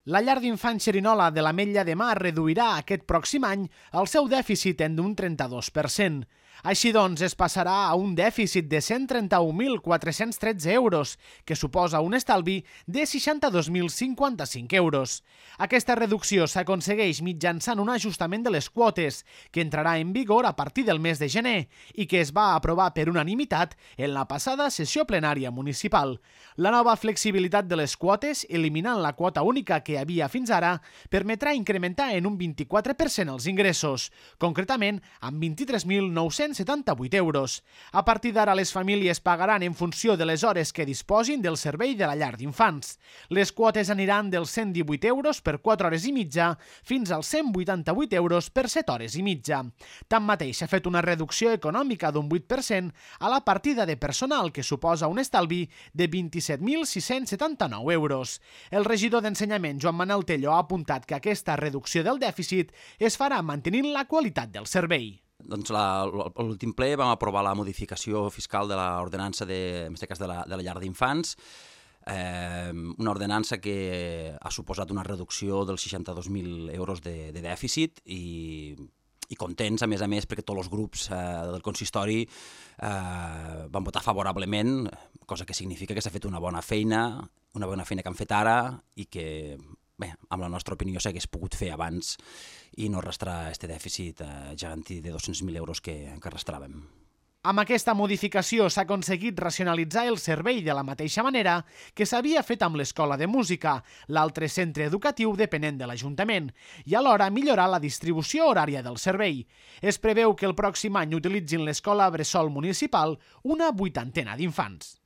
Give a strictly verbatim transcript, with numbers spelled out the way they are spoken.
La llar d'infants Xerinola de l'Ametlla de Mar reduirà aquest pròxim any el seu dèficit en un trenta-dos per cent. Així doncs, es passarà a un dèficit de cent trenta-un mil quatre-cents tretze euros, que suposa un estalvi de seixanta-dos mil cinquanta-cinc euros. Aquesta reducció s'aconsegueix mitjançant un ajustament de les quotes, que entrarà en vigor a partir del mes de gener i que es va aprovar per unanimitat en la passada sessió plenària municipal. La nova flexibilitat de les quotes, eliminant la quota única que hi havia fins ara, permetrà incrementar en un vint-i-quatre per cent els ingressos, concretament amb vint-i-tres mil nou-cents setanta-vuit euros. A partir d'ara, les famílies pagaran en funció de les hores que disposin del servei de la llar d'infants. Les quotes aniran dels cent divuit euros per quatre hores i mitja fins als cent vuitanta-vuit euros per set hores i mitja. Tanmateix, s'ha fet una reducció econòmica d'un vuit per cent a la partida de personal, que suposa un estalvi de vint-i-set mil sis-cents setanta-nou euros. El regidor d'Ensenyament, Joan Manel Tello, ha apuntat que aquesta reducció del dèficit es farà mantenint la qualitat del servei. Doncs la, l'últim ple vam aprovar la modificació fiscal de l'ordenança, de, en aquest cas de la, de la llar d'infants, eh, una ordenança que ha suposat una reducció dels seixanta-dos mil euros de, de dèficit i, i contents, a més a més, perquè tots els grups eh, del consistori eh, van votar favorablement, cosa que significa que s'ha fet una bona feina, una bona feina que han fet ara i que, bé, amb la nostra opinió s'hagués pogut fer abans i no arrastrar aquest dèficit eh, gegantí de dos-cents mil euros que, que arrastràvem. Amb aquesta modificació s'ha aconseguit racionalitzar el servei de la mateixa manera que s'havia fet amb l'Escola de Música, l'altre centre educatiu depenent de l'Ajuntament, i alhora millorar la distribució horària del servei. Es preveu que el pròxim any utilitzin l'Escola Bressol Municipal una vuitantena d'infants.